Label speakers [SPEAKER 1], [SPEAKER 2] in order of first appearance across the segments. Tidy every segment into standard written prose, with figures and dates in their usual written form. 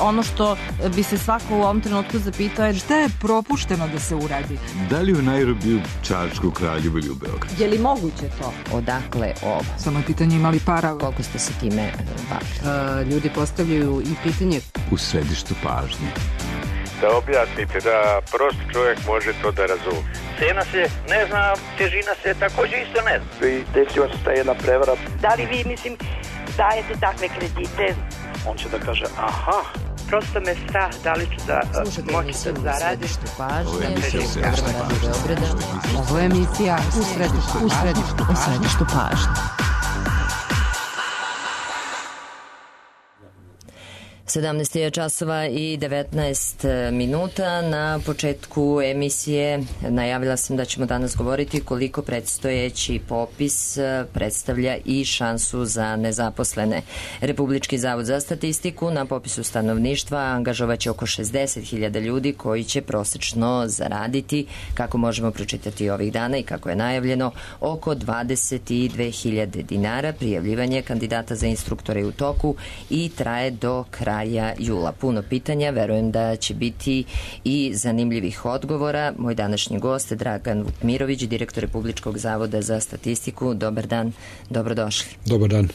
[SPEAKER 1] ono što bi se svako u ovom trenutku zapitao je
[SPEAKER 2] šta je propušteno da se uradi?
[SPEAKER 3] Da li u Nairobiju, Čačku, Kraljevu ili u Beogradu?
[SPEAKER 1] Je li moguće to?
[SPEAKER 4] Odakle ovo?
[SPEAKER 2] Samo je pitanje imali para.
[SPEAKER 4] Koliko ste se time bavili?
[SPEAKER 2] Ljudi postavljaju i pitanje.
[SPEAKER 3] U središtu pažnje.
[SPEAKER 5] Da objasnite, da prost čovjek može to da razumije.
[SPEAKER 6] Cena se ne zna, težina se također isto ne zna.
[SPEAKER 7] I desila se ta jedna prevara.
[SPEAKER 8] Da li vi, dajete takve kredite?
[SPEAKER 7] On će da kaže, aha.
[SPEAKER 8] Prosto me strah, da li ću da moći da zaradim.
[SPEAKER 2] Ovo je emisija u središtu pažnje.
[SPEAKER 4] 17 je časova i 19 minuta. Na početku emisije najavila sam da ćemo danas govoriti koliko predstojeći popis predstavlja i šansu za nezaposlene. Republički zavod za statistiku na popisu stanovništva angažovaće oko 60.000 ljudi koji će prosečno zaraditi, kako možemo pročitati ovih dana i kako je najavljeno, oko 22.000 dinara. Prijavljivanje kandidata za instruktore je u toku i traje do kraja jula. Puno pitanja, verujem da će biti i zanimljivih odgovora. Moj današnji gost je Dragan Vukmirović, direktor Republičkog zavoda za statistiku. Dobar dan, dobrodošli.
[SPEAKER 9] Dobar dan.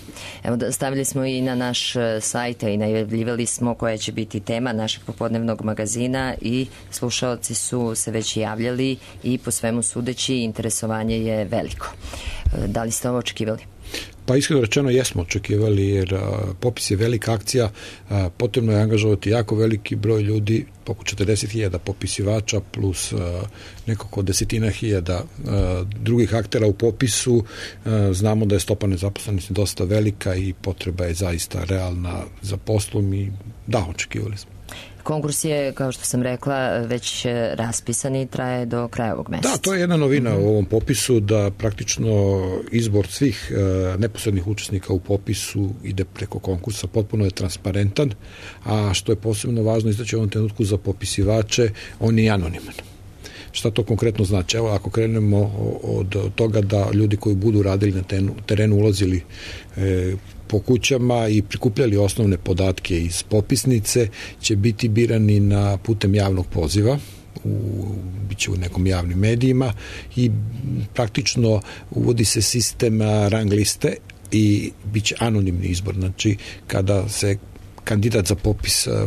[SPEAKER 4] Evo, stavili smo i na naš sajt i najavljivali smo koja će biti tema našeg popodnevnog magazina i slušaoci su se već javljali i po svemu sudeći interesovanje je veliko. Da li ste ovo očekivali?
[SPEAKER 9] Pa iskreno rečeno jesmo očekivali, jer popis je velika akcija, potrebno je angažovati jako veliki broj ljudi, oko 40.000 popisivača plus nekako 10.000 drugih aktera u popisu. Znamo da je stopa nezaposlenosti dosta velika i potreba je zaista realna za poslom i da, očekivali smo.
[SPEAKER 4] Konkurs je, kao što sam rekla, već raspisan i traje do kraja ovog meseca.
[SPEAKER 9] Da, to je jedna novina u ovom popisu, da praktično izbor svih neposrednih učesnika u popisu ide preko konkursa, potpuno je transparentan, a što je posebno važno istaći u ovom trenutku za popisivače, on je anoniman. Šta to konkretno znači? Evo, ako krenemo od toga da ljudi koji budu radili na terenu ulazili po kućama i prikupljali osnovne podatke iz popisnice, će biti birani na putem javnog poziva, biće u nekom javnim medijima i praktično uvodi se sistem rang liste i bit će anonimni izbor. Znači, kada se kandidat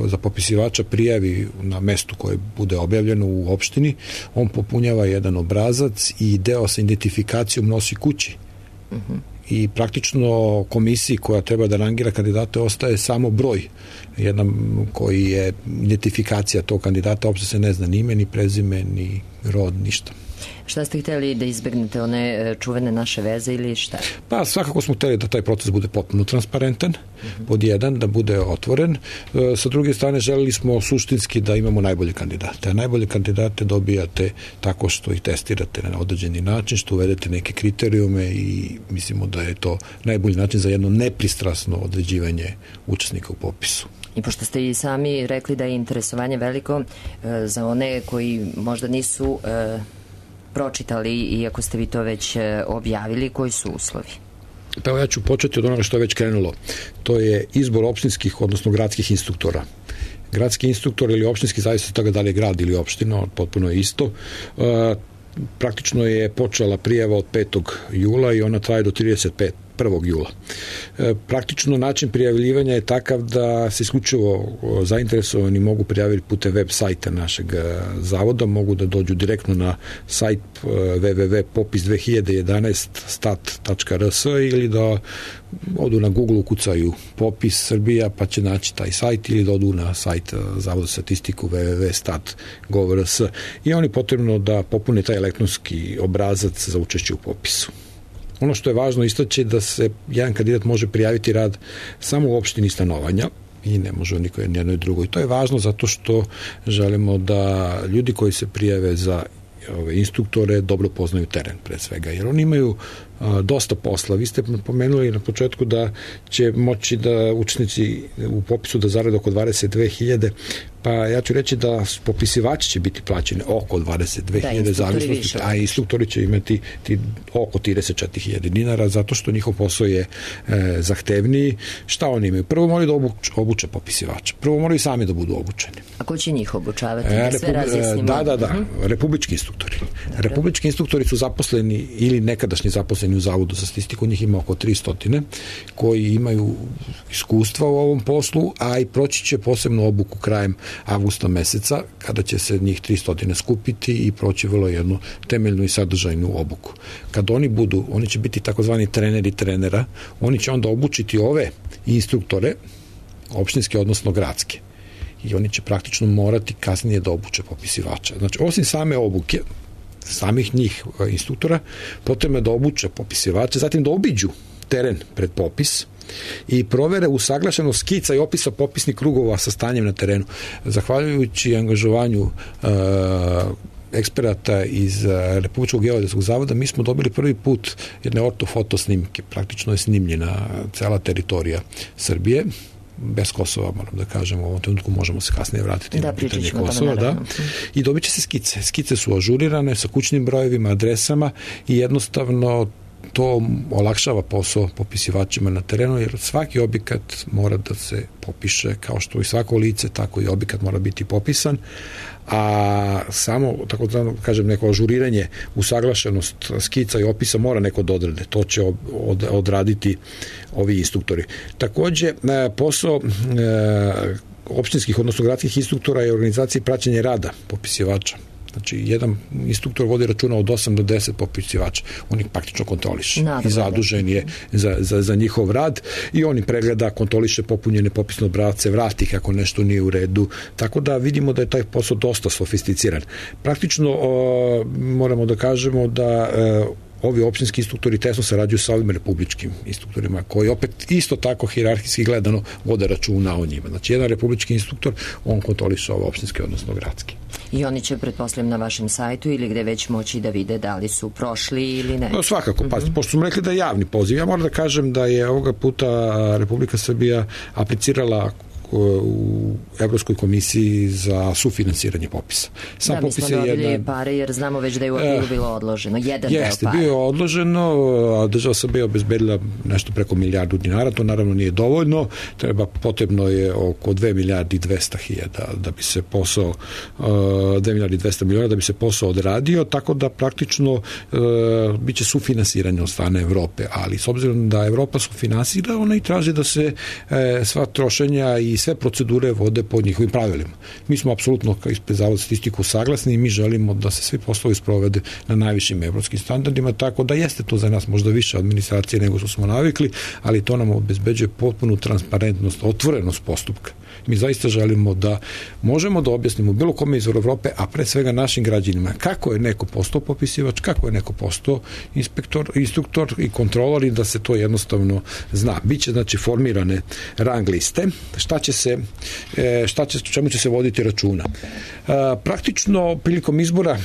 [SPEAKER 9] za popisivača prijavi na mestu koje bude objavljeno u opštini, on popunjava jedan obrazac i deo sa identifikacijom nosi kući. I praktično komisiji koja treba da rangira kandidate ostaje samo broj, jedan koji je identifikacija tog kandidata, uopšte se ne zna ni ime, ni prezime, ni rod, ništa.
[SPEAKER 4] Šta ste htjeli da izbegnete, one čuvene naše veze ili šta?
[SPEAKER 9] Pa svakako smo htjeli da taj proces bude potpuno transparentan, pod jedan, da bude otvoren. Sa druge strane želeli smo suštinski da imamo najbolje kandidate. A najbolje kandidate dobijate tako što ih testirate na određeni način, što uvedete neke kriterijume i mislimo da je to najbolji način za jedno nepristrasno određivanje učesnika u popisu.
[SPEAKER 4] I pošto ste i sami rekli da je interesovanje veliko, za one koji možda nisu pročitali, iako ste vi to već objavili, koji su uslovi?
[SPEAKER 9] Pa evo, ja ću početi od onoga što je već krenulo. To je izbor opštinskih, odnosno gradskih instruktora. Gradski instruktor ili opštinski, zavisno od toga da li je grad ili opština, potpuno je isto. Praktično je počela prijava od 5. jula i ona traje do 1. jula. Praktično način prijavljivanja je takav da se isključivo zainteresovani mogu prijaviti putem web sajta našeg zavoda, mogu da dođu direktno na sajt www.popis2011stat.rs ili da odu na Google, ukucaju popis Srbija pa će naći taj sajt, ili da odu na sajt Zavoda statistiku www.stat.gov.rs i oni potrebno da popune taj elektronski obrazac za učešće u popisu. Ono što je važno istaći da se jedan kandidat može prijaviti rad samo u opštini stanovanja i ne može niko jednoj drugoj. To je važno zato što želimo da ljudi koji se prijave za ove instruktore dobro poznaju teren pre svega, jer oni imaju dosta posla. Vi ste pomenuli na početku da će moći da učesnici u popisu da zarade oko 22.000. Pa ja ću reći da popisivači će biti plaćeni oko 22.000 zavisnosti, a instruktori će imati oko 34.000 dinara, zato što njihov posao je zahtevniji. Šta oni imaju? Prvo moraju da obuče popisivača. Prvo moraju sami da budu obučeni.
[SPEAKER 4] A ko će njih obučavati? Da sve razjasnimo.
[SPEAKER 9] Da. Republički instruktori. Dobre. Republički instruktori su zaposleni ili nekadašnji zaposleni u Zavodu za statistiku, njih ima oko 300 koji imaju iskustva u ovom poslu, a i proći će posebnu obuku krajem avgusta meseca, kada će se njih 300 skupiti i proći vrlo jednu temeljnu i sadržajnu obuku. Kad oni će biti takozvani treneri trenera, oni će onda obučiti ove instruktore, opštinske odnosno gradske. I oni će praktično morati kasnije da obuče popisivača. Znači, osim same obuke, samih njih instruktora, potrebno je da obuče popisivače, zatim da obiđu teren pred popis i provere usaglašenost skica i opisa popisnih krugova sa stanjem na terenu. Zahvaljujući angažovanju eksperata iz Republičkog geodetskog zavoda, mi smo dobili prvi put jedne ortofoto snimke. Praktično je snimljena cela teritorija Srbije, bez Kosova, moram da kažem, u ovom trenutku možemo se kasnije vratiti na pitanje Kosova, da. I dobit će se skice. Skice su ažurirane sa kućnim brojevima, adresama i jednostavno to olakšava posao popisivačima na terenu, jer svaki objekat mora da se popiše, kao što i svako lice, tako i objekat mora biti popisan, a samo, tako da kažem, neko ažuriranje, usaglašenost skica i opisa mora neko da odrade. To će odraditi ovi instruktori. Takođe, posao opštinskih, odnosno gradskih instruktora je organizacija i praćenje rada popisivača. Znači, jedan instruktor vodi računa od 8 do 10 popisivača. On ih praktično kontroliše i zadužen je za njihov rad i on ih pregleda, kontroliše popunjene popisne obrasce, vrati kako nešto nije u redu. Tako da vidimo da je taj posao dosta sofisticiran. Praktično moramo da kažemo da ovi opštinski instruktori tesno sarađuju sa ovim republičkim instruktorima, koji opet isto tako hijerarhijski gledano vode računa o njima. Znači, jedan republički instruktor, on kontroliše ove opštinske, odnosno gradske.
[SPEAKER 4] I oni će, pretpostavljam, na vašem sajtu ili gde već moći da vide da li su prošli ili ne?
[SPEAKER 9] No, svakako, pa, pošto smo rekli da je javni poziv, ja moram da kažem da je ovoga puta Republika Srbija aplicirala u Evropskoj komisiji za sufinansiranje popisa.
[SPEAKER 4] Sam mi smo dobili pare jer znamo već da je u aprilu bilo odloženo.
[SPEAKER 9] Jeste, bio je odloženo, a država Srbija obezbedila nešto preko milijardu dinara, to naravno nije dovoljno, potrebno je oko 2 milijardi 200 hiljada da bi se posao 2 milijardi 200 miliona da bi se posao odradio, tako da praktično biće sufinansiranje od strane Evrope, ali s obzirom da Evropa sufinansira, ona i traži da se sva trošenja i sve procedure vode pod njihovim pravilima. Mi smo apsolutno ispred Zavoda za statistiku saglasni i mi želimo da se svi poslovi sprovede na najvišim evropskim standardima, tako da jeste to za nas možda više administracije nego što smo navikli, ali to nam obezbeđuje potpunu transparentnost, otvorenost postupka. Mi zaista želimo da možemo da objasnimo bilo kome iz Evrope, a pre svega našim građanima, kako je neko postao popisivač, kako je neko postao instruktor i kontrolor i da se to jednostavno zna. Biće, znači, formirane rang liste, čemu će se voditi računa. Praktično, prilikom izbora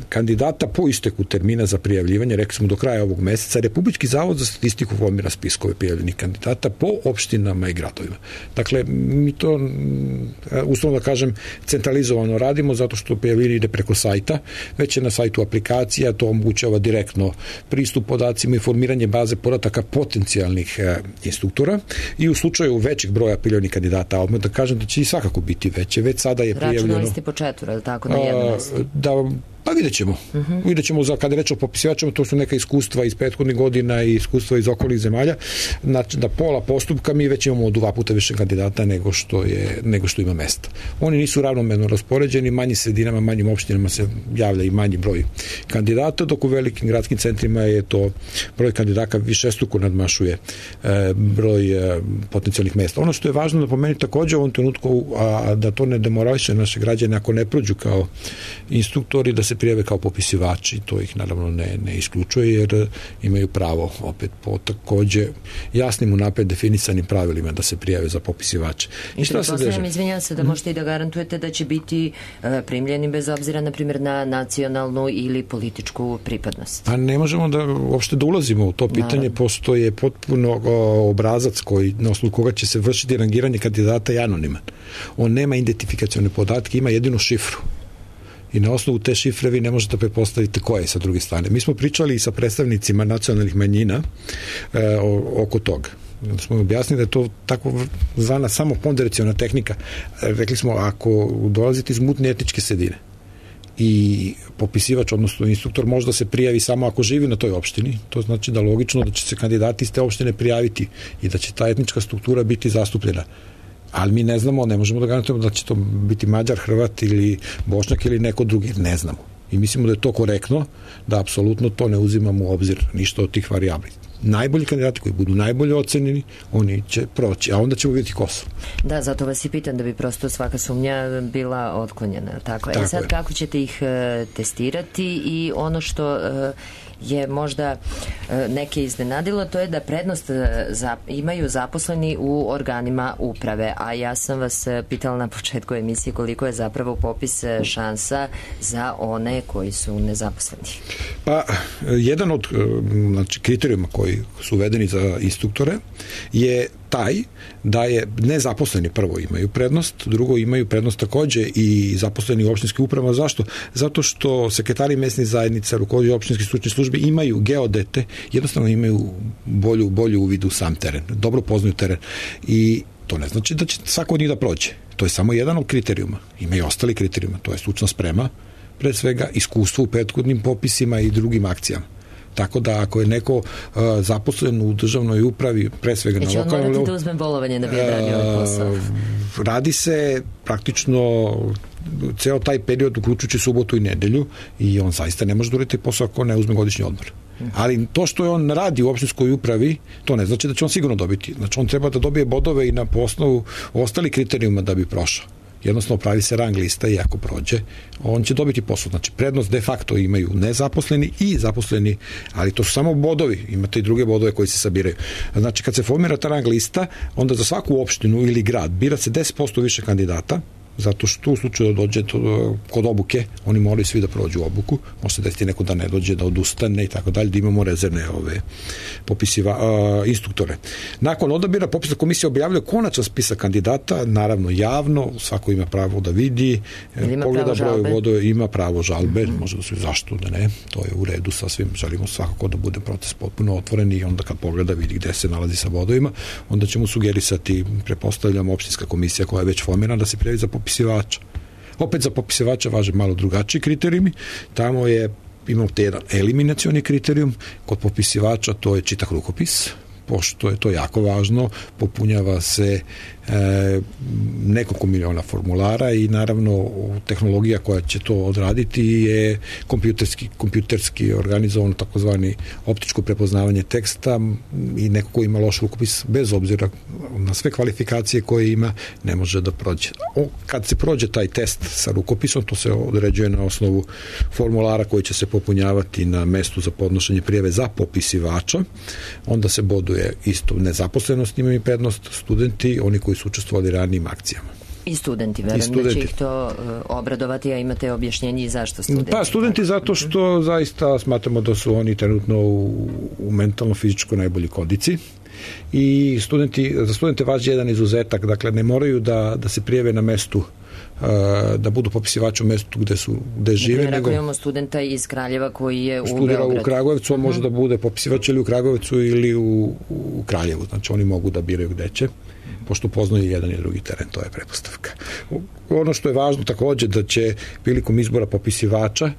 [SPEAKER 9] kandidata po isteku termina za prijavljivanje, rekli smo do kraja ovog meseca, Republički zavod za statistiku formira spiskove prijavljenih kandidata po opštinama i gradovima. Dakle, mi to, uslovno da kažem, centralizovano radimo zato što prijavljivanje ide preko sajta, već je na sajtu aplikacija, to omogućava direktno pristup podacima i formiranje baze podataka potencijalnih instruktora i u slučaju većeg broja prijavljenih kandidata, odmah da kažem da će i svakako biti veće, već sada je prijavljeno.
[SPEAKER 4] Računali ste po 4, ali tako, na jedno mesto?
[SPEAKER 9] Pa vidjet ćemo. Vidjet ćemo kada je reč o popisivačima, to su neka iskustva iz prethodnih godina i iskustva iz okolnih zemalja. Znači, da pola postupka mi već imamo 2 puta više kandidata nego što ima mesta. Oni nisu ravnomerno raspoređeni, manjim sredinama, manjim opštinama se javlja i manji broj kandidata, dok u velikim gradskim centrima je to broj kandidata višestruko nadmašuje broj potencijalnih mesta. Ono što je važno napomenuti takođe u ovom trenutku, a da to ne demorališe naše građane ako ne prođu kao instruktori, da se prijave kao popisivači, to ih naravno ne isključuje, jer imaju pravo opet po takođe jasnim unapred definisanim pravilima da se prijave za popisivače.
[SPEAKER 4] I pretpostavljam, izvinjam se, da možete i da garantujete da će biti primljeni bez obzira, na primjer, na nacionalnu ili političku pripadnost.
[SPEAKER 9] A ne možemo uopšte da ulazimo u to pitanje, postoje potpuno obrazac na osnovu koga će se vršiti rangiranje kandidata i anoniman. On nema identifikacione podatke, ima jedinu šifru. I na osnovu te šifre vi ne možete pretpostaviti ko je sa druge strane. Mi smo pričali i sa predstavnicima nacionalnih manjina oko toga. Smo objasnili da je to tako zvana samo ponderaciona tehnika. Rekli smo, ako dolazite iz mutne etničke sredine i popisivač, odnosno instruktor, može da se prijavi samo ako živi na toj opštini, to znači da logično da će se kandidati iz te opštine prijaviti i da će ta etnička struktura biti zastupljena. Ali mi ne znamo, ne možemo da garantujemo da će to biti Mađar, Hrvat ili Bošnjak ili neko drugi, ne znamo. I mislimo da je to korektno, da apsolutno to ne uzimamo u obzir, ništa od tih varijabli. Najbolji kandidati koji budu najbolje ocenjeni, oni će proći, a onda ćemo vidjeti ko su.
[SPEAKER 4] Da, zato vas i pitam, da bi prosto svaka sumnja bila otklonjena. Tako je. Sad, kako ćete ih testirati? I ono što je možda neke iznenadilo, to je da prednost imaju zaposleni u organima uprave, a ja sam vas pitala na početku emisije koliko je zapravo popis šansa za one koji su nezaposleni.
[SPEAKER 9] Pa, jedan od kriterijuma koji su uvedeni za instruktore je taj da je nezaposleni prvo imaju prednost, drugo imaju prednost takođe i zaposleni u opštinskim upravama. Zašto? Zato što sekretari mesnih zajednica, rukovodioci opštinskih stručnih službi imaju geodete, jednostavno imaju bolju uvid u sam teren, dobro poznaju teren i to ne znači da će svako od njih da prođe. To je samo jedan od kriterijuma. Ima i ostali kriterijuma, to je stručna sprema, pre svega iskustvo u prethodnim popisima i drugim akcijama. Tako da ako je neko zaposlen u državnoj upravi, pre svega na lokalnom...
[SPEAKER 4] Neće on morati da uzme bolovanje da bi odradio ovaj posao?
[SPEAKER 9] Radi se praktično ceo taj period, uključujući subotu i nedelju, i on zaista ne može da uradi posao ako ne uzme godišnji odmor. Ali to što je on radi u opštinskoj upravi, to ne znači da će on sigurno dobiti. Znači on treba da dobije bodove i na osnovu ostalih kriterijuma da bi prošao. Jednostavno pravi se rang lista i ako prođe, on će dobiti posao. Znači, prednost de facto imaju nezaposleni i zaposleni, ali to su samo bodovi, imate i druge bodove koji se sabiraju. Znači, kad se formira ta rang lista, onda za svaku opštinu ili grad bira se 10% više kandidata, zato što u slučaju da dođe kod obuke, oni moraju svi da prođu obuku, može se desiti neko da ne dođe, da odustane i tako dalje, da imamo rezervne instruktore. Nakon odabira popisna komisija objavljuje konačan spisak kandidata, naravno javno, svako ima pravo da vidi, pogleda broj bodova, ima pravo žalbe, može da se zašto da ne, to je u redu sasvim, želimo svakako da bude proces potpuno otvoren i onda kad pogleda vidi gde se nalazi sa bodovima, onda ćemo sugerisati, prepostavljamo opštinska komisija koja je već formirana da se prijavi za popisivača. Opet za popisivača važe malo drugačiji kriterijumi. Tamo imamo te jedan eliminacioni kriterijum, kod popisivača to je čitak rukopis, pošto je to jako važno, popunjava se nekoliko miliona formulara i naravno tehnologija koja će to odraditi je kompjuterski organizovano takozvani optičko prepoznavanje teksta i neko ko ima loš rukopis bez obzira na sve kvalifikacije koje ima ne može da prođe. Kad se prođe taj test sa rukopisom, to se određuje na osnovu formulara koji će se popunjavati na mestu za podnošenje prijave za popisivača, onda se boduje isto nezaposlenost, imaju prednost studenti, oni koji su učestvovali ranijim akcijama.
[SPEAKER 4] I studenti, verujem da će ih to obradovati, a imate objašnjenje i zašto studenti?
[SPEAKER 9] Pa studenti zato što zaista smatramo da su oni trenutno u mentalno-fizičko najbolji kodici i za studente važi jedan izuzetak, dakle ne moraju da se prijave na mestu da budu popisivači u mestu gde žive.
[SPEAKER 4] Dakle, ako imamo studenta iz Kraljeva koji je u Beogradu.
[SPEAKER 9] Studira u Kragujevcu, on može da bude popisivač ili u Kragujevcu ili u Kraljevu. Znači oni mogu da biraju gde će, pošto poznaju jedan i drugi teren, to je pretpostavka. Ono što je važno takođe da će prilikom izbora popisivača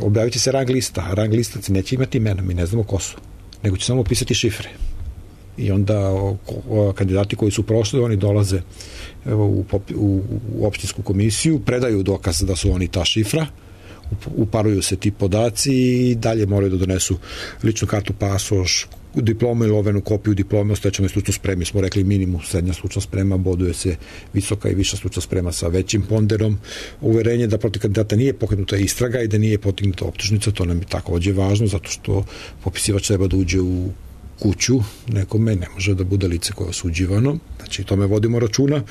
[SPEAKER 9] objavit će se rang lista, a rang listaci neće imati imena, mi ne znamo ko su, nego će samo pisati šifre. I onda kandidati koji su prošli, oni dolaze u opštinsku komisiju, predaju dokaz da su oni ta šifra, uparuju se ti podaci i dalje moraju da donesu ličnu kartu, pasoš, diploma ili ovenu kopiju diplome o stečenoj stručnoj spremi, smo rekli minimum srednja stručna sprema, boduje se visoka i viša stručna sprema sa većim ponderom, uverenje da protiv kandidata nije pokrenuta istraga i da nije podignuta optužnica, to nam je takođe važno, zato što popisivač treba da uđe u kuću nekome, ne može da bude lice koje je osuđivano, znači tome vodimo računa.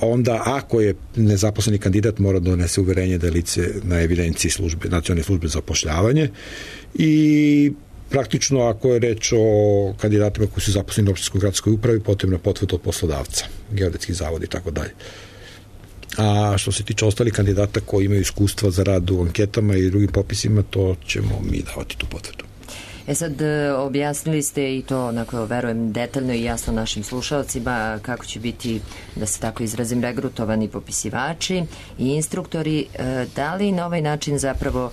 [SPEAKER 9] Onda, ako je nezaposleni kandidat, mora da donese uverenje da je lice na evidenciji nacionalne službe za zapošljavanje i praktično, ako je reč o kandidatima koji su zaposleni u opštinskoj gradskoj upravi, potrebna potvrda od poslodavca, geodetski zavod i tako dalje. A što se tiče ostalih kandidata koji imaju iskustva za rad u anketama i drugim popisima, to ćemo mi davati tu potvrdu.
[SPEAKER 4] Sad, objasnili ste i to, onako, verujem, detaljno i jasno našim slušalcima kako će biti, da se tako izrazim, regrutovani popisivači i instruktori. Da li na ovaj način zapravo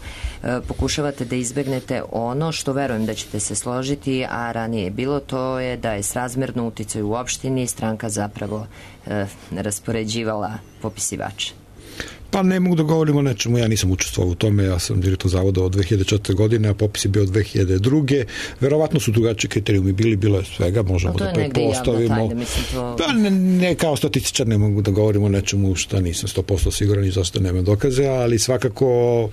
[SPEAKER 4] pokušavate da izbegnete ono što verujem da ćete se složiti, a ranije je bilo, to je da je srazmerno uticaju u opštini stranka zapravo raspoređivala popisivače?
[SPEAKER 9] Pa ne mogu da govorim o nečemu, ja nisam učestvovao u tome, ja sam direktor zavoda od 2004. godine, a popis je bio od 2002. Verovatno su drugačiji kriterijumi bilo je svega, možemo da pretpostavimo. Pa ne, kao statističar ne mogu da govorim o nečemu što nisam 100% siguran i zašto nema dokaze, ali svakako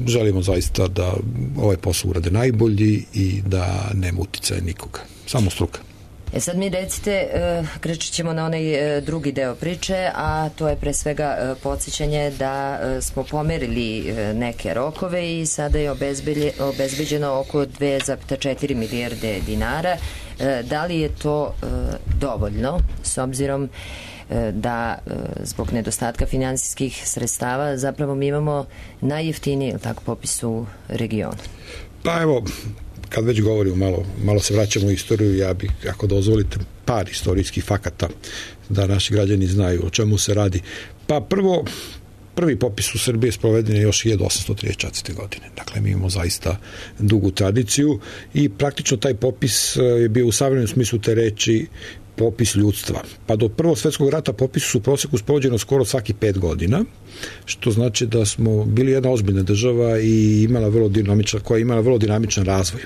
[SPEAKER 9] želimo zaista da ovaj posao urade najbolji i da nema uticaja nikoga, samo struka.
[SPEAKER 4] Sad mi recite, krećet ćemo na onaj drugi deo priče, a to je pre svega podsjećanje da smo pomerili neke rokove i sada je obezbeđeno oko 2,4 milijarde dinara. Da li je to dovoljno, s obzirom da zbog nedostatka finansijskih sredstava zapravo mi imamo najjeftiniji popis u regionu?
[SPEAKER 9] Pa evo, kad već govorimo, malo se vraćamo u istoriju, ja bih, ako dozvolite, par istorijskih fakata da naši građani znaju o čemu se radi. Pa prvi popis u Srbiji je sproveden još 1834. godine. Dakle, mi imamo zaista dugu tradiciju i praktično taj popis je bio u savremenom smislu te reči popis ljudstva. Pa do Prvog svetskog rata popisi su u proseku sprovođeno skoro svaki 5 godina, što znači da smo bili jedna ozbiljna država i koja je imala vrlo dinamičan razvoj.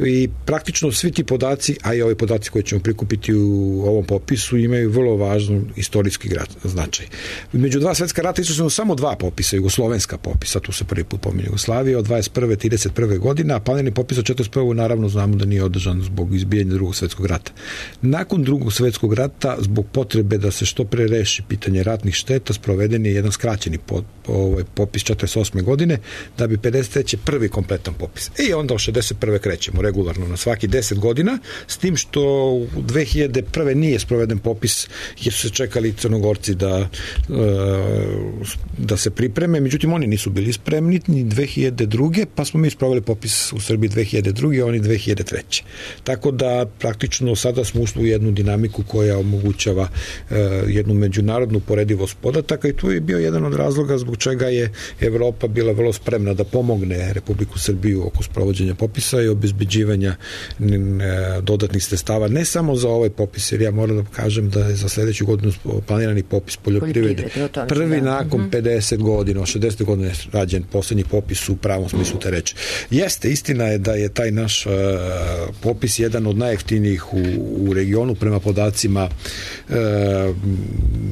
[SPEAKER 9] I praktično svi ti podaci, a i ovi podaci koje ćemo prikupiti u ovom popisu, imaju vrlo važan istorijski značaj. Među dva svetska rata isto samo 2 popisa, jugoslovenska popisa, tu se prvi put pominje Jugoslavija, od 21. 31. godine, a planirani popis od 41. naravno znamo da nije održan zbog izbijanja Drugog svetskog rata. Nakon Drugog svetskog rata, zbog potrebe da se što pre reši pitanje ratnih šteta, sproveden je jedan skraćeni popis 48. godine, da bi 53. prvi kompletan popis. I onda od 61. krećemo regularno na svaki 10 godina, s tim što u 2001. nije sproveden popis jer su se čekali Crnogorci da se pripreme, međutim oni nisu bili spremni ni 2002. pa smo mi sproveli popis u Srbiji 2002. a oni 2003. Tako da praktično sada smo ušli u jednu dinamiku koja omogućava jednu međunarodnu poredivost podataka i tu je bio jedan od razloga zbog čega je Evropa bila vrlo spremna da pomogne Republiku Srbiju oko sprovođenja popisa i obezbeđivanja dodatnih sredstava, ne samo za ovaj popis, jer ja moram da kažem da je za sledeću godinu planirani popis poljoprivrede prvi nakon 50 godina, od 60 godina je rađen poslednji popis u pravom smislu te reči. Jeste, istina je da je taj naš popis jedan od najjeftinijih u regionu prema podacima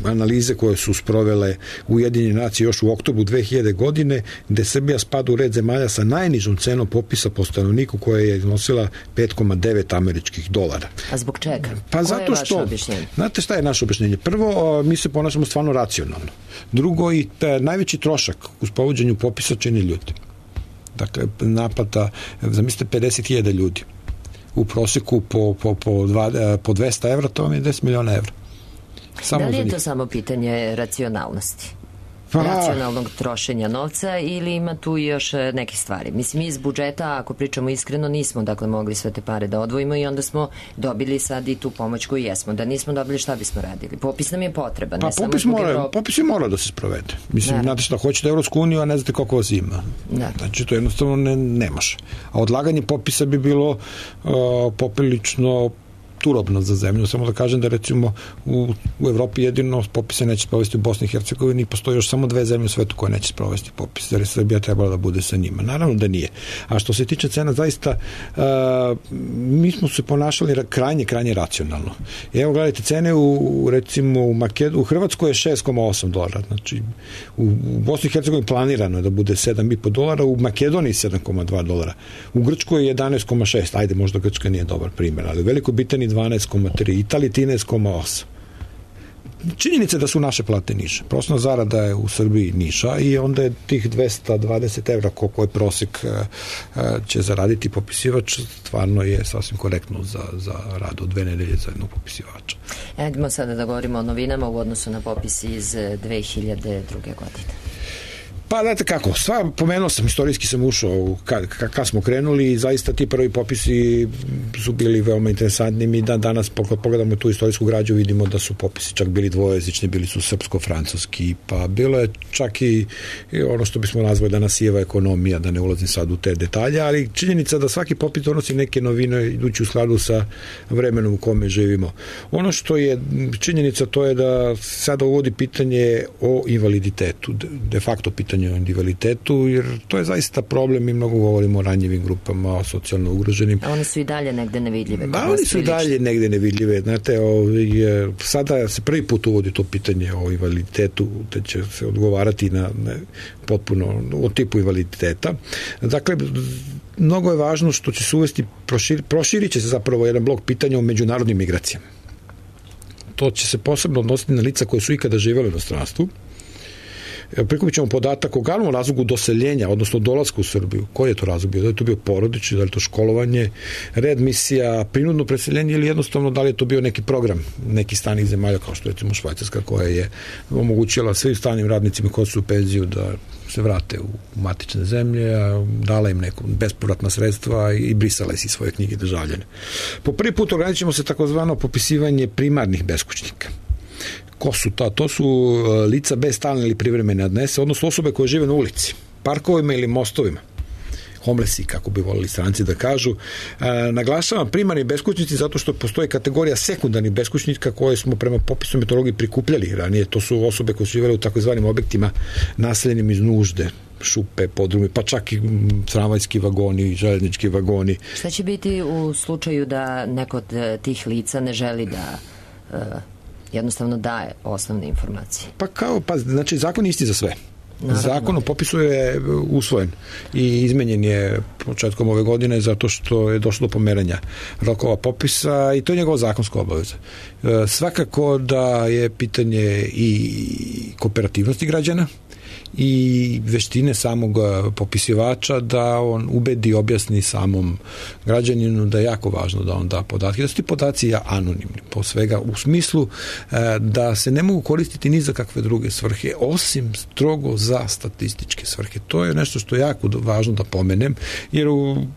[SPEAKER 9] analize koje su sprovele Ujedinjene nacije još u oktobru 2000 godine, gde Srbija spada u red zemalja sa najnižom cenom popisa po stanovniku koja je iznosila $5,9 američkih dolara.
[SPEAKER 4] A zbog čega?
[SPEAKER 9] Pa zato što, znate šta je naše objašnjenje? Prvo, mi se ponašamo stvarno racionalno. Drugo, i najveći trošak u sprovođenju popisa čini ljudi. Dakle, naplata, zamislite 50.000 ljudi. U proseku po 200 evra, to vam je 10 miliona evra.
[SPEAKER 4] Da li je to samo pitanje racionalnosti? Racionalnog trošenja novca ili ima tu još neke stvari? Mislim, iz budžeta, ako pričamo iskreno, nismo mogli sve te pare da odvojimo i onda smo dobili sad i tu pomoć koju jesmo. Da nismo dobili, šta bismo radili? Popis nam je potreban.
[SPEAKER 9] Pa popis je mora da se sprovede. Mislim, znate šta, hoćete Evropsku uniju, a ne znate koliko vas ima. Znači, to jednostavno ne može. A odlaganje popisa bi bilo poprilično turobno za zemlju. Samo da kažem da recimo u Evropi jedino popise neće sprovesti u Bosni i Hercegovini i postoji još samo 2 zemlje u svetu koje neće sprovesti popis, jer je Srbija trebala da bude sa njima. Naravno da nije. A što se tiče cena, zaista mi smo se ponašali krajnje racionalno. Evo gledajte, cene recimo u Hrvatskoj je $6,8, znači u Bosni i Hercegovini planirano je da bude $7,5, u Makedoniji $7,2, u Grčkoj je 11,6, ajde možda Grčka nije dobar primjer, ali u Velikoj Britaniji 12,3, Italiji 13,8. Činjenica je da su naše plate niže. Prosječna zarada je u Srbiji niža i onda je tih 220 evra koliko je prosek će zaraditi popisivač, stvarno je sasvim korektno za rad od 2 nedelje za jednog popisivača.
[SPEAKER 4] Idemo sada da govorimo o novinama u odnosu na popis iz 2002. godine.
[SPEAKER 9] Pa, znate kako, pomenuo sam, istorijski sam ušao kad smo krenuli i zaista ti prvi popisi su bili veoma interesantni. Mi danas pogledamo tu istorijsku građu, vidimo da su popisi čak bili dvojezični, bili su srpsko-francuski, pa bilo je čak i ono što bismo nazvali danas sijeva ekonomija, da ne ulazim sad u te detalje, ali činjenica da svaki popis donosi neke novine idući u skladu sa vremenom u kome živimo. Ono što je činjenica, to je da sada uvodi pitanje o invaliditetu, de facto pitanje o invaliditetu, jer to je zaista problem. Mi mnogo govorimo o ranjivim grupama, o socijalno ugroženim.
[SPEAKER 4] A one su i dalje negde nevidljive.
[SPEAKER 9] Da, oni su i dalje negde nevidljive. Znate, sada se prvi put uvodi to pitanje o invaliditetu, da će se odgovarati na potpuno o tipu invaliditeta. Dakle, mnogo je važno što će se uvesti, proširit će se zapravo jedan blok pitanja o međunarodnim migracijama. To će se posebno odnositi na lica koje su ikada živjeli u inostranstvu. Prikupit ćemo podatak o glavnom razlogu doseljenja, odnosno dolaska u Srbiju. Koji je to razlog bio? Da li je to bio porodični, da li je to školovanje, readmisija, prinudno preseljenje ili jednostavno da li je to bio neki program nekih stranih zemalja, kao što je recimo Švajcarska, koja je omogućila svim stranim radnicima koji su u penziju da se vrate u matične zemlje, dala im neko bespovratna sredstva i brisala iz svoje knjige državljane. Po prvi put ograničimo se takozvano popisivanje primarnih beskućnika. Ko su ta? To su lica bez stalne ili privremene adrese, odnosno osobe koje žive na ulici, parkovima ili mostovima. Homelessi, kako bi volili stranci da kažu. Naglašavam primarni beskućnici zato što postoji kategorija sekundarnih beskućnika koje smo prema popisu meteorologije prikupljali ranije. To su osobe koje su živjeli u takozvanim objektima naseljenim iz nužde, šupe, podrumi, pa čak i tramvajski vagoni, željeznički vagoni.
[SPEAKER 4] Šta će biti u slučaju da neko od tih lica ne želi da jednostavno daje osnovne informacije?
[SPEAKER 9] Znači zakon je isti za sve. Naravno. Zakon o popisu je usvojen i izmenjen je početkom ove godine zato što je došlo do pomeranja rokova popisa i to je njegova zakonska obaveza. Svakako da je pitanje i kooperativnosti građana i veštine samog popisivača da on ubedi, objasni samom građaninu da je jako važno da on da podatke, da su ti podaci anonimni po svega, u smislu da se ne mogu koristiti ni za kakve druge svrhe, osim strogo za statističke svrhe. To je nešto što je jako važno da pomenem, jer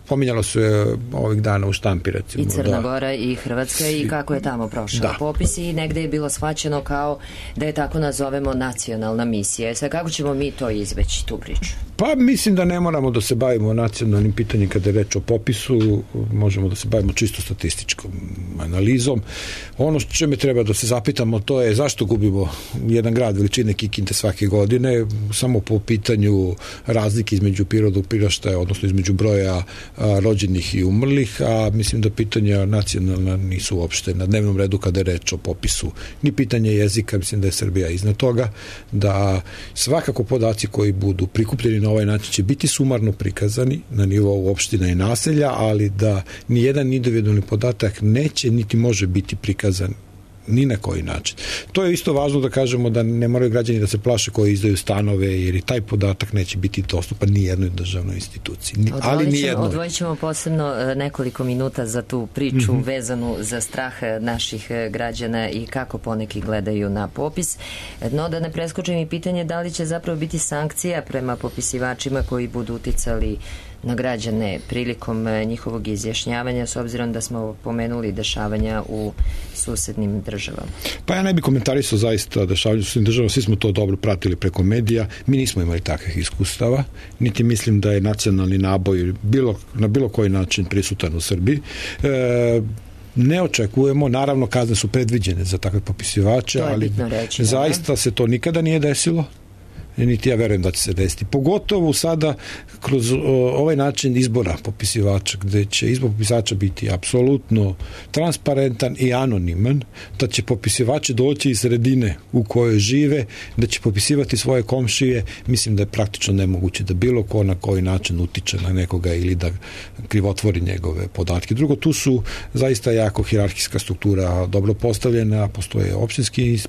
[SPEAKER 9] pominjalo se ovih dana u štampi, recimo.
[SPEAKER 4] I Crna Gora i Hrvatska i kako je tamo prošao popis i negde je bilo shvaćeno kao da je tako nazovemo nacionalna misija. Sad kako ćemo mi to izveći, tu priču?
[SPEAKER 9] Pa mislim da ne moramo da se bavimo nacionalnim pitanjem kada je reč o popisu, možemo da se bavimo čisto statističkom analizom. Ono što čime treba da se zapitamo to je zašto gubimo jedan grad veličine Kikinde svake godine, samo po pitanju razlike između prirodnog priraštaja, odnosno između broja rođenih i umrlih, a mislim da pitanja nacionalna nisu uopšte na dnevnom redu kada je reč o popisu. Ni pitanje jezika, mislim da je Srbija iznad toga, da svakako podaci koji budu prikupljeni na ovaj način će biti sumarno prikazani na nivou opština i naselja, ali da ni jedan individualni podatak neće niti može biti prikazan ni na koji način. To je isto važno da kažemo da ne moraju građani da se plaše koji izdaju stanove, jer i taj podatak neće biti dostupan ni jednoj državnoj instituciji. Ali ni jednoj.
[SPEAKER 4] Odvojit ćemo posebno nekoliko minuta za tu priču vezanu za strah naših građana i kako poneki gledaju na popis. No, da ne preskočim i pitanje da li će zapravo biti sankcija prema popisivačima koji budu uticali na građane prilikom njihovog izjašnjavanja, s obzirom da smo pomenuli dešavanja u susednim državama.
[SPEAKER 9] Pa ja ne bih komentarisao zaista dešavanja u susednim državama, svi smo to dobro pratili preko medija, mi nismo imali takvih iskustava, niti mislim da je nacionalni naboj na bilo koji način prisutan u Srbiji. ne očekujemo, naravno kazne su predviđene za takve popisivače, ali reći, zaista se to nikada nije desilo. Niti ja verujem da će se desiti. Pogotovo sada kroz ovaj način izbora popisivača, gde će izbor popisivača biti apsolutno transparentan i anoniman, da će popisivači doći iz sredine u kojoj žive, da će popisivati svoje komšije, mislim da je praktično nemoguće da bilo ko na koji način utiče na nekoga ili da krivotvori njegove podatke. Drugo, tu su zaista jako hijerarhijska struktura dobro postavljena, postoje opštinski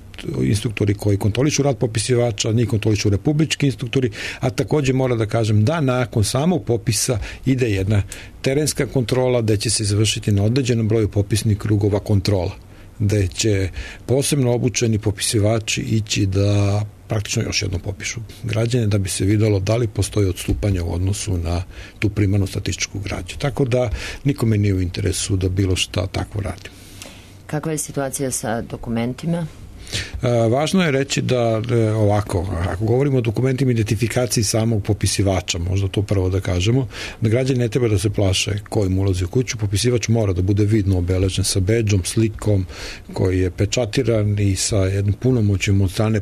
[SPEAKER 9] instruktori koji kontrolišu rad popisivača, njih kontrolišu republički instruktori, a također mora da kažem da nakon samog popisa ide jedna terenska kontrola da će se izvršiti na određenom broju popisnih krugova kontrola, da će posebno obučeni popisivači ići da praktično još jednom popišu građane da bi se videlo da li postoji odstupanje u odnosu na tu primarnu statističku građu. Tako da nikome nije u interesu da bilo šta takvo radi.
[SPEAKER 4] Kakva je situacija sa dokumentima?
[SPEAKER 9] Važno je reći da ovako, ako govorimo o dokumentima identifikaciji samog popisivača, možda to prvo da kažemo, da građani ne treba da se plaše ko im ulazi u kuću, popisivač mora da bude vidno obeležen sa bedžom, slikom koji je pečatiran i sa jednim punomoćjem od strane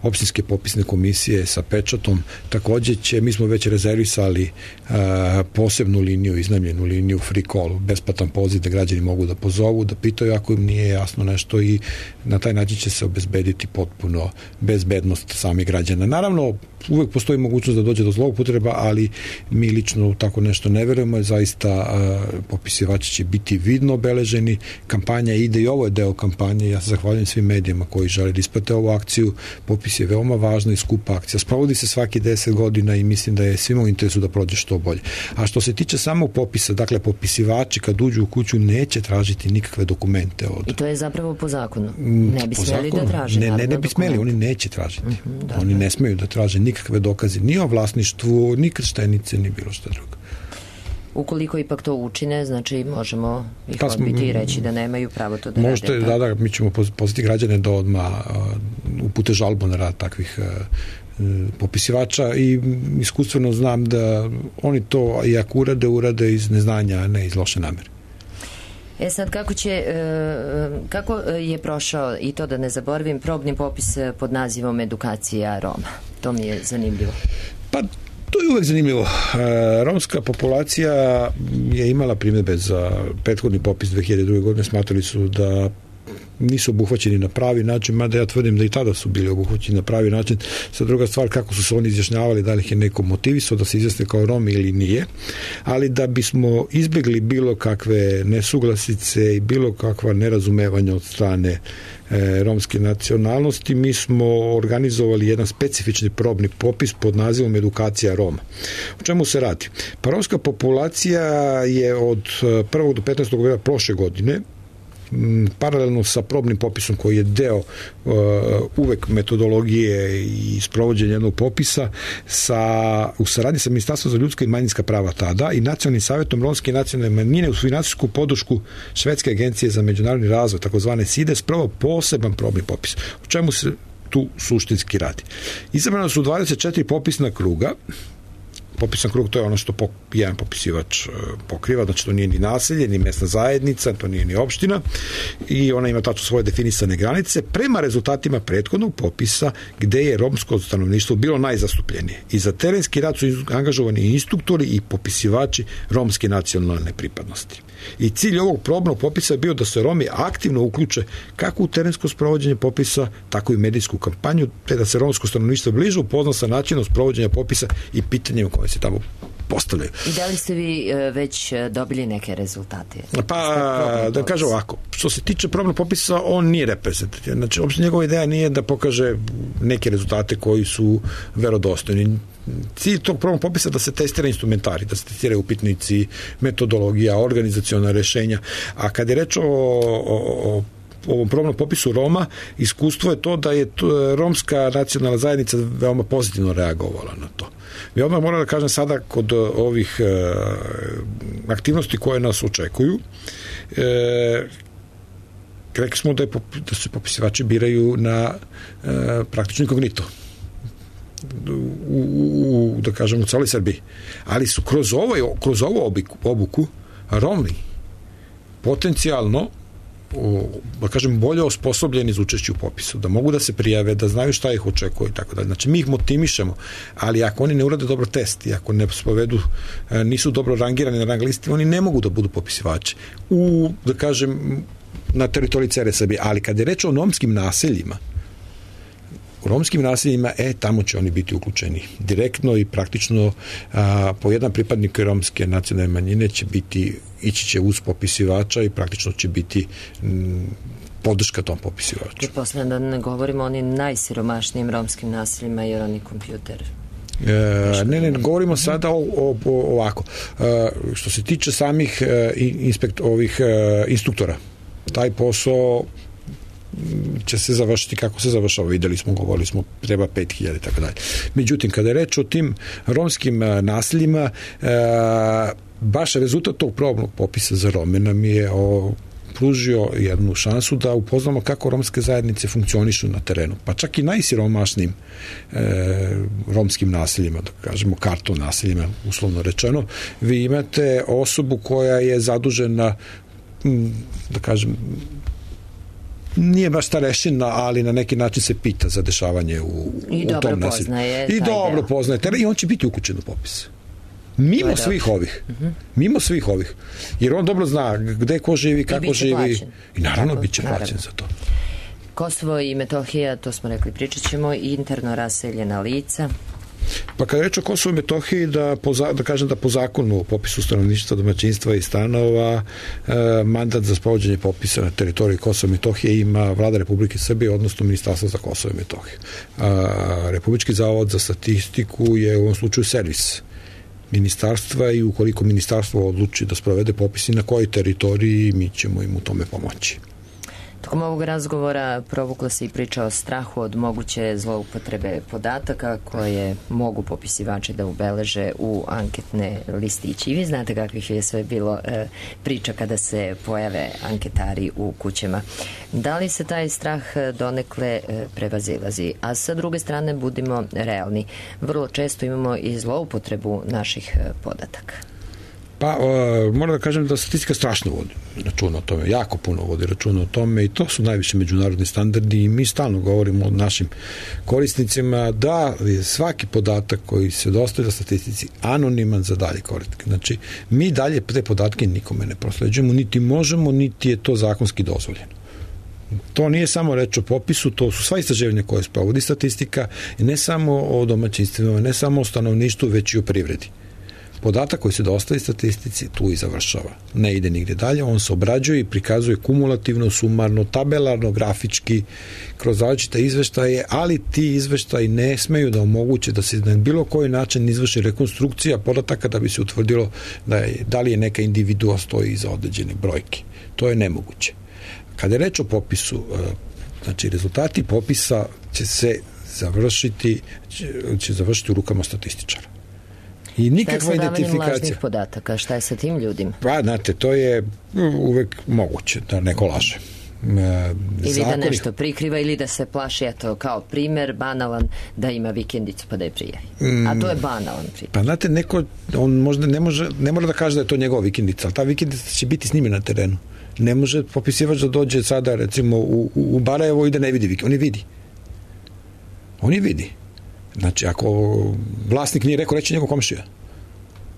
[SPEAKER 9] opštinske popisne komisije sa pečatom. Također mi smo već rezervisali posebnu liniju, iznajmljenu liniju free call, besplatan poziv da građani mogu da pozovu, da pitaju ako im nije jasno nešto i na taj način će se obezbediti potpuno bezbednost samih građana. Naravno, uvek postoji mogućnost da dođe do zloupotreba, ali mi lično tako nešto ne verujemo, zaista popisivači će biti vidno obeleženi, kampanja ide i ovo je deo kampanje, ja se zahvaljujem svim medijima koji žele da isprate ovu akciju, popis je veoma važna i skupa akcija, sprovodi se svaki 10 godina i mislim da je svima u interesu da prođe što bolje. A što se tiče samog popisa, dakle popisivači kad uđu u kuću neće tražiti nikakve dokumente.
[SPEAKER 4] I to je zapravo po zakonu? Ne bi smjeli da traže?
[SPEAKER 9] Ne bi smjeli, oni neće tražiti. Oni ne smeju da traže nikakve dokaze ni o vlasništvu, ni krštenice, ni bilo što drugo.
[SPEAKER 4] Ukoliko ipak to učine, znači možemo ih odbiti i reći da nemaju pravo to da rade.
[SPEAKER 9] Da, mi ćemo pozvati građane da odmah upute žalbu na rad takvih popisivača i iskustveno znam da oni to i ako urade iz neznanja, a ne iz loše namere.
[SPEAKER 4] Sad, kako je prošao, i to da ne zaboravim, probni popis pod nazivom Edukacija Roma? To mi je zanimljivo.
[SPEAKER 9] Pa, to je uvek zanimljivo. Romska populacija je imala primjedbe za prethodni popis 2002. godine, smatrali su da nisu obuhvaćeni na pravi način, mada ja tvrdim da i tada su bili obuhvaćeni na pravi način. Sad druga stvar, kako su se oni izjašnjavali, da li ih je neko motivisao da se izjasne kao Romi ili nije, ali da bismo izbjegli bilo kakve nesuglasice i bilo kakva nerazumevanja od strane romske nacionalnosti, mi smo organizovali jedan specifični probni popis pod nazivom Edukacija Roma. O čemu se radi? Pa romska populacija je od 1. do 15. novembra prošle godine paralelno sa probnim popisom koji je deo uvek metodologije i sprovođenja jednog popisa u saradnji sa Ministarstvom za ljudska i manjinska prava tada i Nacionalnim savjetom romske i nacionalne manjine uz finansijsku podršku Švedske agencije za međunarodni razvoj, takozvane SIDE, spravo poseban probni popis. O čemu se tu suštinski radi? Izabrano su 24 popisna kruga. Popisan krug, to je ono što jedan popisivač pokriva, znači to nije ni naselje, ni mesna zajednica, to nije ni opština i ona ima tačno svoje definisane granice prema rezultatima prethodnog popisa gde je romsko stanovništvo bilo najzastupljenije. I za terenski rad su angažovani instruktori i popisivači romske nacionalne pripadnosti. I cilj ovog probnog popisa je bio da se Romi aktivno uključe kako u terensko sprovođenje popisa, tako i u medijsku kampanju, te da se romsko stanovništvo bliže upozna sa načinom sprovođenja popisa i pitanjem koje se tamo postavljaju.
[SPEAKER 4] I da li ste vi već dobili neke rezultate?
[SPEAKER 9] Pa, da kažem ovako, što se tiče probnog popisa, on nije reprezentativan. Znači, uopšte njegova ideja nije da pokaže neke rezultate koji su verodostojni. Cilj tog probnog popisa da se testira instrumentari, da se testiraju upitnici, metodologija, organizaciona rešenja. A kad je reč o ovom probnom popisu Roma, iskustvo je to da je romska nacionalna zajednica veoma pozitivno reagovala na to. I odmah moram da kažem sada kod ovih aktivnosti koje nas očekuju, rekli smo da se popisivači biraju na praktično inkognito. Da kažem u celoj Srbiji. Ali su kroz ovu obuku Romi potencijalno da kažem, bolje osposobljeni za učešće u popisu, da mogu da se prijave, da znaju šta ih očekuje i tako dalje. Znači, mi ih motivišemo, ali ako oni ne urade dobro test i ako ne spovedu, nisu dobro rangirani na rang listi, oni ne mogu da budu popisivači. Da kažem, na teritoriji cele Srbije. Ali kad je reč o romskim naseljima, tamo će oni biti uključeni direktno i praktično po jedan pripadnik romske nacionalne manjine će ići će uz popisivača i praktično će biti podrška tom popisivaču.
[SPEAKER 4] I posle da ne govorimo o onim najsiromašnijim romskim naseljima jer oni kompjuter.
[SPEAKER 9] Ne, govorimo sada ovako. Što se tiče samih instruktora, taj posao će se završiti kako se završava. Videli smo, govorili smo, treba 5.000 i tako dalje. Međutim, kada je reč o tim romskim naseljima, baš rezultat tog probnog popisa za Rome nam je pružio jednu šansu da upoznamo kako romske zajednice funkcionišu na terenu. Pa čak i najsiromašnijim romskim naseljima, da kažemo karton naseljima, uslovno rečeno, vi imate osobu koja je zadužena, da kažem, nije baš starešina, ali na neki način se pita za dešavanje u tom naselju. I dobro poznaje teren i on će biti uključen u popis. Mimo svih ovih. Jer on dobro zna gde ko živi, kako živi. I naravno bit će plaćen za to.
[SPEAKER 4] Kosovo i Metohija, to smo rekli, pričat ćemo, interno raseljena lica.
[SPEAKER 9] Pa kada reč o Kosovu i Metohiji, da kažem da po zakonu o popisu stanovništva, domaćinstva i stanova mandat za sprovođenje popisa na teritoriji Kosova i Metohije ima Vlada Republike Srbije, odnosno Ministarstvo za Kosovo i Metohiju. Republički zavod za statistiku je u ovom slučaju servis ministarstva i ukoliko ministarstvo odluči da sprovede popis i na kojoj teritoriji, mi ćemo im u tome pomoći.
[SPEAKER 4] Tokom ovog razgovora provukla se i priča o strahu od moguće zloupotrebe podataka koje mogu popisivači da ubeleže u anketne listiće. I vi znate kakvih je sve bilo priča kada se pojave anketari u kućama. Da li se taj strah donekle prevazilazi? A sa druge strane, budimo realni. Vrlo često imamo i zloupotrebu naših podataka.
[SPEAKER 9] Pa, moram da kažem da statistika strašno vodi računa o tome, jako puno vodi računa o tome i to su najviše međunarodni standardi i mi stalno govorimo o našim korisnicima da je svaki podatak koji se dostavlja statistici anoniman za dalje korisnike. Znači, mi dalje te podatke nikome ne prosleđujemo, niti možemo, niti je to zakonski dozvoljeno. To nije samo reč o popisu, to su sva istraživanja koje sprovodi statistika i ne samo o domaćinstvima, ne samo o stanovništvu, već i o privredi. Podatak koji se dostavi statistici tu i završava. Ne ide nigde dalje, on se obrađuje i prikazuje kumulativno, sumarno, tabelarno, grafički, kroz različite izveštaje, ali ti izveštaji ne smeju da omoguće da se na bilo koji način izvrši rekonstrukcija podataka da bi se utvrdilo da li je neka individua stoji iza određene brojke. To je nemoguće. Kada je reč o popisu, znači rezultati popisa će završiti u rukama statističara. I nikakva identifikacija.
[SPEAKER 4] Lažnih podataka, šta je sa tim ljudima?
[SPEAKER 9] Pa, znate, to je uvek moguće da neko laže.
[SPEAKER 4] Ili da nešto prikriva ili da se plaši, eto, kao primer, banalan, da ima vikendicu pa da je prijavi. A to je banalan primer.
[SPEAKER 9] Pa, znate, on možda ne mora da kaže da je to njegova vikendica, ali ta vikendica će biti s njime na terenu. Ne može popisivač da dođe sada, recimo, u Barajevo i da ne vidi vikendicu. On je vidi. Znači, ako vlasnik nije rekao, reći njegov komšija.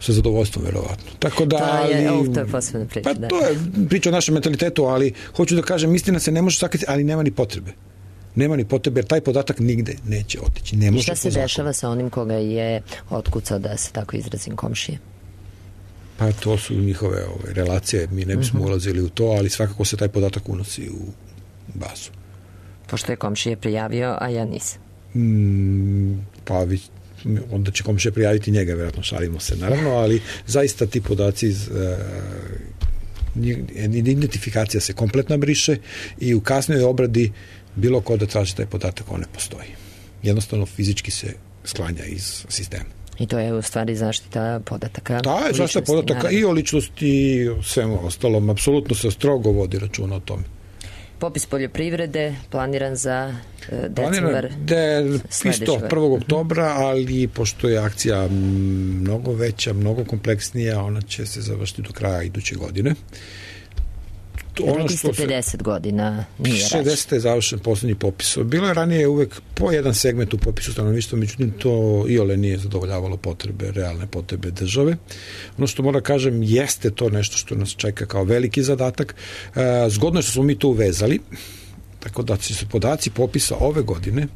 [SPEAKER 9] Sa zadovoljstvom, verovatno. Tako da,
[SPEAKER 4] to je posebna priča.
[SPEAKER 9] Pa to je priča o našem mentalitetu, ali hoću da kažem, istina se ne može sakriti, ali nema ni potrebe. Nema ni potrebe, jer taj podatak nigde neće otići.
[SPEAKER 4] I šta se dešava sa onim koga je otkucao, da se tako izrazim, komšije?
[SPEAKER 9] Pa to su njihove relacije, mi ne bismo ulazili u to, ali svakako se taj podatak unosi u bazu.
[SPEAKER 4] Pošto je komšije prijavio, a ja nisam.
[SPEAKER 9] Pa onda će komšija prijaviti njega, vjerojatno, šalimo se naravno, ali zaista ti podaci identifikacija se kompletno briše i u kasnoj obradi bilo ko da traži taj podatak, on ne postoji. Jednostavno fizički se sklanja iz sistema.
[SPEAKER 4] I to je u stvari zaštita podataka.
[SPEAKER 9] Da, je zaštita podataka naravno. I o ličnosti i o svemu ostalom. Apsolutno se strogo vodi računa o tome.
[SPEAKER 4] Popis poljoprivrede planiran za decembar
[SPEAKER 9] isto 1. oktobra, ali pošto je akcija mnogo veća, mnogo kompleksnija, ona će se završiti do kraja iduće godine.
[SPEAKER 4] Rekli ste 50 godina nije rađen.
[SPEAKER 9] 60. je završen poslednji popis. Bilo je ranije uvek po jedan segment u popisu stanovništva, međutim to iole nije zadovoljavalo potrebe, realne potrebe države. Ono što moram kažem, jeste to nešto što nas čeka kao veliki zadatak. Zgodno je što smo mi to uvezali, tako da će se podaci popisa ove godine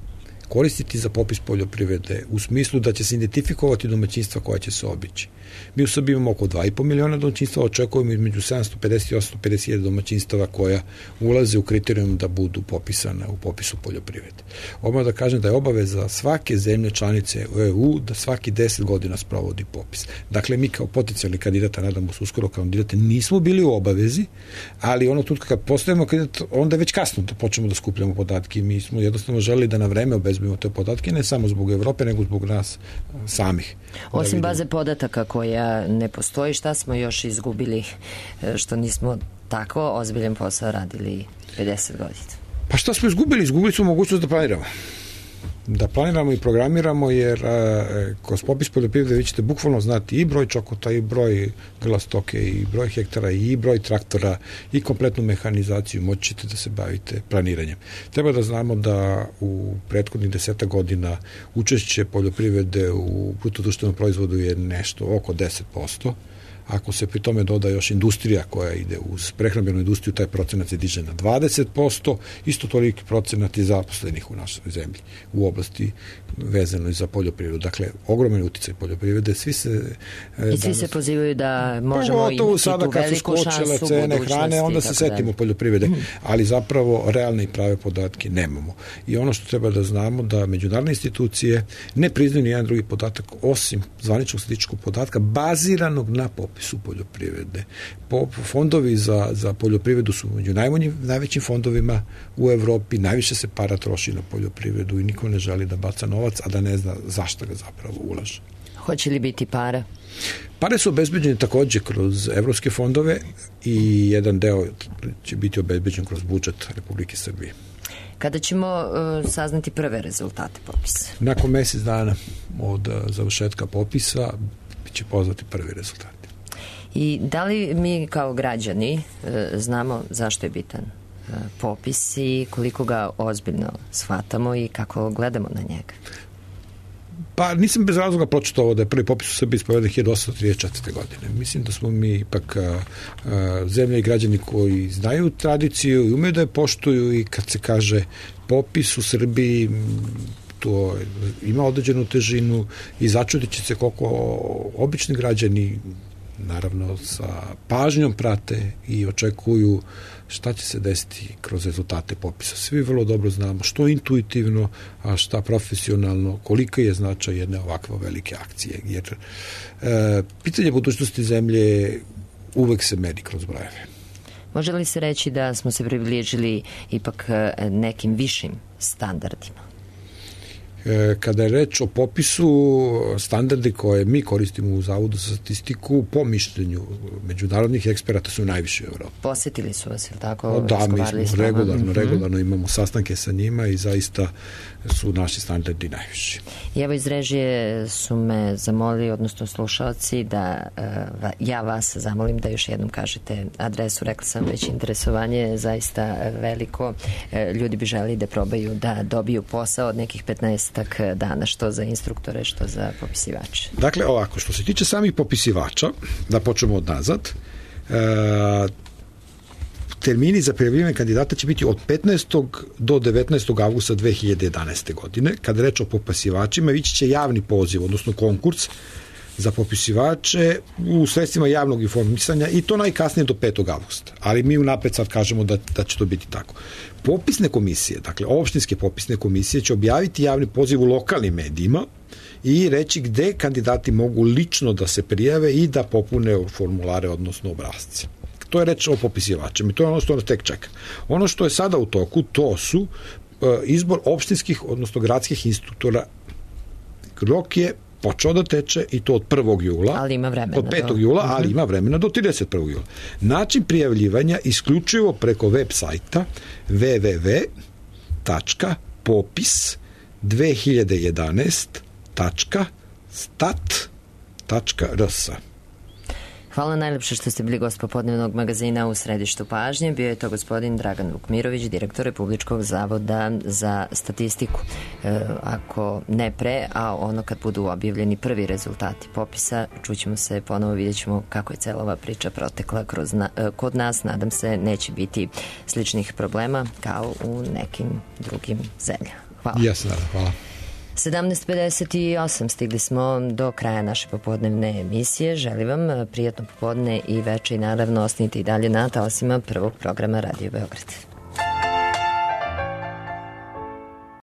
[SPEAKER 9] koristiti za popis poljoprivrede u smislu da će se identifikovati domaćinstva koja će se obići. Mi u Srbiji imamo oko 2,5 miliona domaćinstva, očekujemo između 750 i 850 domaćinstava koja ulaze u kriterijum da budu popisane u popisu poljoprivrede. Odmah da kažem da je obaveza svake zemlje članice u EU da svaki 10 godina sprovodi popis. Dakle, mi kao potencijalni kandidata, nadamo se uskoro kandidate, nismo bili u obavezi, ali ono tutka kad postajemo kandidat, onda je već kasno da počnemo da skupljamo podatke i mi smo jednostavno želeli da na vreme obezbedimo te podatke, ne samo zbog Evrope, nego zbog nas samih.
[SPEAKER 4] Osim baze podataka koja ne postoji, šta smo još izgubili što nismo tako ozbiljan posao radili 50 godina?
[SPEAKER 9] Pa šta smo izgubili? Izgubili smo mogućnost da planiramo. Da planiramo i programiramo, jer kroz popis poljoprivrede vi ćete bukvalno znati i broj čokota, i broj grla stoke, i broj hektara, i broj traktora, i kompletnu mehanizaciju, moći ćete da se bavite planiranjem. Treba da znamo da u prethodnih 10 godina učešće poljoprivrede u bruto-društvenom proizvodu je nešto oko 10%. Ako se pri tome doda još industrija koja ide uz prehrambenu industriju, taj procenat se diže na 20%, isto toliki procenat je zaposlenih u našoj zemlji u oblasti vezanoj za poljoprivredu. Dakle, ogroman uticaj poljoprivrede. Svi se
[SPEAKER 4] pozivaju da možemo imati
[SPEAKER 9] sada,
[SPEAKER 4] tu veliku šansu
[SPEAKER 9] cene
[SPEAKER 4] budućnosti.
[SPEAKER 9] Hrane, onda se setimo poljoprivrede, ali zapravo realne i prave podatke nemamo. I ono što treba da znamo da međunarodne institucije ne priznaju ni jedan drugi podatak osim zvaničnog statističkog podatka baziranog na popisu poljoprivrede. Fondovi za poljoprivredu su među najvećim fondovima u Evropi, najviše se para troši na poljoprivredu i niko ne želi da baca novac, a da ne zna zašto ga zapravo ulaže.
[SPEAKER 4] Hoće li biti para?
[SPEAKER 9] Pare su obezbeđene takođe kroz evropske fondove i jedan deo će biti obezbeđen kroz budžet Republike Srbije.
[SPEAKER 4] Kada ćemo saznati prve rezultate popisa?
[SPEAKER 9] Nakon mesec dana od završetka popisa će pozvati prvi rezultati.
[SPEAKER 4] I da li mi kao građani znamo zašto je bitan popis i koliko ga ozbiljno shvatamo i kako gledamo na njega?
[SPEAKER 9] Pa nisam bez razloga pročitao ovo da je prvi popis u Srbiji sproveden 1834. godine. Mislim da smo mi ipak zemlja i građani koji znaju tradiciju i umeju da je poštuju i kad se kaže popis u Srbiji, to ima određenu težinu i začudit će se koliko obični građani naravno sa pažnjom prate i očekuju šta će se desiti kroz rezultate popisa. Svi vrlo dobro znamo što intuitivno, a šta profesionalno, kolika je značaj jedne ovakve velike akcije. Jer pitanje budućnosti zemlje uvek se meri kroz brojeve.
[SPEAKER 4] Može li se reći da smo se približili ipak nekim višim standardima?
[SPEAKER 9] Kada je reč o popisu, standardi koje mi koristimo u Zavodu za statistiku po mišljenju međunarodnih eksperata su najviše u Evropi.
[SPEAKER 4] Posetili su vas, ili tako?
[SPEAKER 9] Da, mi smo regularno imamo sastanke sa njima i zaista su naši standardi najviši.
[SPEAKER 4] I evo iz režije su me zamolili, odnosno slušalci, da ja vas zamolim da još jednom kažete adresu. Rekla sam već, interesovanje je zaista veliko. Ljudi bi želi da probaju da dobiju posao od nekih 15 dana, što za instruktore, što za popisivače.
[SPEAKER 9] Dakle, ovako, što se tiče samih popisivača, da počnemo od nazad, termini za prijavljivanje kandidata će biti od 15. do 19. avgusta 2011. godine. Kada reč o popisivačima, ići će javni poziv, odnosno konkurs za popisivače u sredstvima javnog informisanja i to najkasnije do 5. avgusta. Ali mi unapred sad kažemo da će to biti tako. Popisne komisije, dakle opštinske popisne komisije će objaviti javni poziv u lokalnim medijima i reći gde kandidati mogu lično da se prijave i da popune formulare, odnosno obrasce. To je reč o popisivačima i to je ono što nas tek čeka. Ono što je sada u toku, to su izbor opštinskih, odnosno gradskih instruktora. Rok je počeo da teče i to od 1. jula.
[SPEAKER 4] Ali ima vremena.
[SPEAKER 9] Od 5. jula, ali ima vremena do 31. jula. Način prijavljivanja isključivo preko web sajta www.popis2011.stat.rs.
[SPEAKER 4] Hvala najlepše što ste bili gost popodnevnog magazina U središtu pažnje. Bio je to gospodin Dragan Vukmirović, direktor Republičkog zavoda za statistiku. Ako ne pre, a ono kad budu objavljeni prvi rezultati popisa, čućemo se ponovo, vidjet ćemo kako je cela ova priča protekla kod nas. Nadam se neće biti sličnih problema kao u nekim drugim zemljama. Hvala.
[SPEAKER 9] Jasno, hvala.
[SPEAKER 4] 17:58, stigli smo do kraja naše popodnevne emisije. Želim vam prijatno popodne i veče i naravno ostanite i dalje na talasima prvog programa Radio Beograd.